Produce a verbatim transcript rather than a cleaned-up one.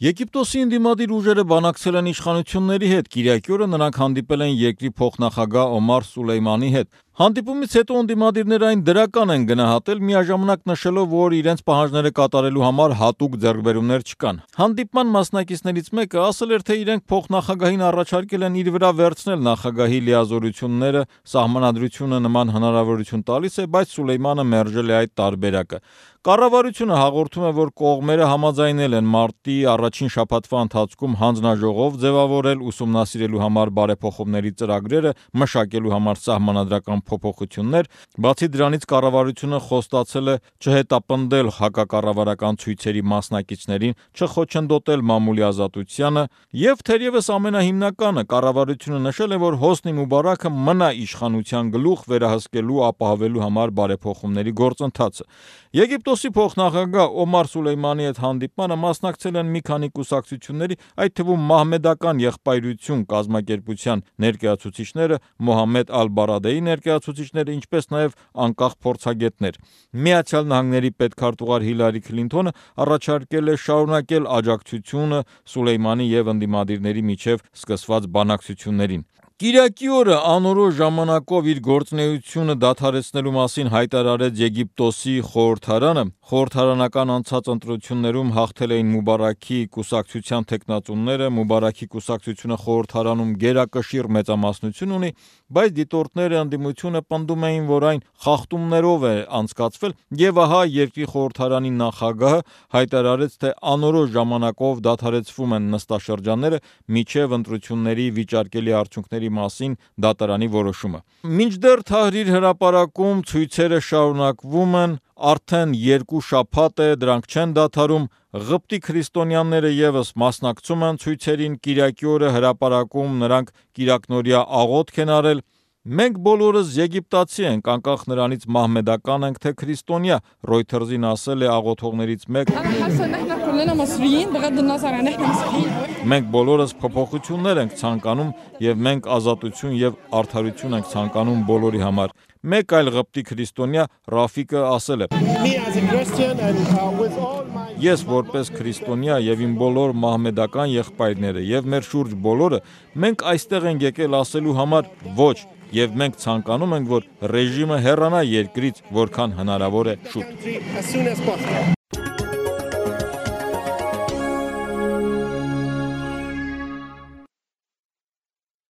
Եգիպտոսի ընդդիմադիր ուժերը բանակցել են իշխանությունների հետ, Կիրակի օրը նրանք հանդիպել են երկրի փոխնախագահ Օմար Սուլեյմանի հետ։ Հանդիպումից հետո ընդդիմադիրները այն դրական են գնահատել, միաժամանակ նշելով, որ իրենց պահանջները կատարելու համար հատուկ ձեռքբերումներ չկան։ Հանդիպման մասնակիցներից մեկը ասել էր, թե իրենք փոխնախագահին առաջարկել են իր վրա վերցնել նախագահի լիազորությունները, սահմանադրությունը նման հնարավորություն տալիս է, բայց Սուլեյմանը մերժել է այդ տարբերակը։ Կառավարությունը հաղորդում է, որ կողմերը համաձայնել են մարտի առաջին շաբաթվա ընթացքում հանձնաժողով ձևավորել ուսումնասիրելու համար բարեփոխումների ծրագրերը, մշակելու համար սահմանադրական փոփոխություններ, բացի դրանից կառավարությունը խոստացել է չհետապնդել հակակառավարական ցույցերի մասնակիցներին, չխոչընդոտել մամուլի ազատությանը եւ թերևս ամենահիմնականը կառավարությունը նշել է, որ Հոսնի Մուբարաքը մնա իշխանության գլուխ վերահսկելու ապահովելու համար բարեփոխումների գործընթացը։ Եգիպտոսի փոխնախագահ Օմար Սուլեյմանի հետ հանդիպմանը մասնակցել են մի քանի կուսակցությունների, այդ թվում Մահմեդական եղբայրություն կազմակերպության ներկայացուցիչները, Մոհամմեդ Ալ-Բարադեի ներկայացուցիչները, ինչպես նաև անկախ փորձագետներ։ Միացյալ Նահանգների պետքարտուղար Հիլարի Քլինթոնը առաջարկել է շարունակել աջակցությունը Սուլեյմանի եւ ընդդիմադիրների միջև սկսված բանակցություններին։ Կիրակի օրը անորոշ ժամանակով իր գործունեությունը դադարեցնելու մասին հայտարարեց Եգիպտոսի խորհրդարանը։ Խորհրդարանական անցած ընտրություններում հաղթել էին Մուբարաքի կուսակցության թեկնածուները, Մուբարաքի կուսակցությունը խորհրդարանում գերակշիռ մեծամասնություն ունի, բայց դիտորդները ընդդիմությունը պնդում էին, որ այն խախտումներով է անցկացվել, եւ ահա երկրի խորհրդարանի նախագահը հայտարարեց, թե անորոշ ժամանակով դադարեցվում են նստաշրջանները մինչև ընտրությունների վիճարկելի արդյունքների մասին դատարանի որոշումը։ Մինչդեռ Թահրիր հրապարակում ցույցերը շարունակվում են, արդեն երկու շաբաթ է դրանք չեն դադարում, Ղպտի քրիստոնյաները եւս մասնակցում են ցույցերին, Կիրակի օրը հրապարակում նրանք կիրակնօրյա աղոթք են արել։ Մենք բոլորս եգիպտացի ենք, անկախ նրանից մահմեդական ենք թե քրիստոնյա, Reuters-ին ասել է աղոթողներից մեկը։ Մենք բոլորս փոփոխություններ ենք ցանկանում եւ մենք ազատություն եւ արդարություն ենք ցանկանում բոլորի համար։ Մեկ այլ ղպտի քրիստոնյա Ռաֆիկը ասել է. Ես որպես քրիստոնյա եւ իմ բոլոր մահմեդական եղբայրները եւ մեր շուրջ բոլորը մենք այստեղ ենք եկել ասելու համար ոչ, եւ մենք ցանկանում ենք, որ ռեժիմը հեռանա երկրից որքան հնարավոր է շուտ։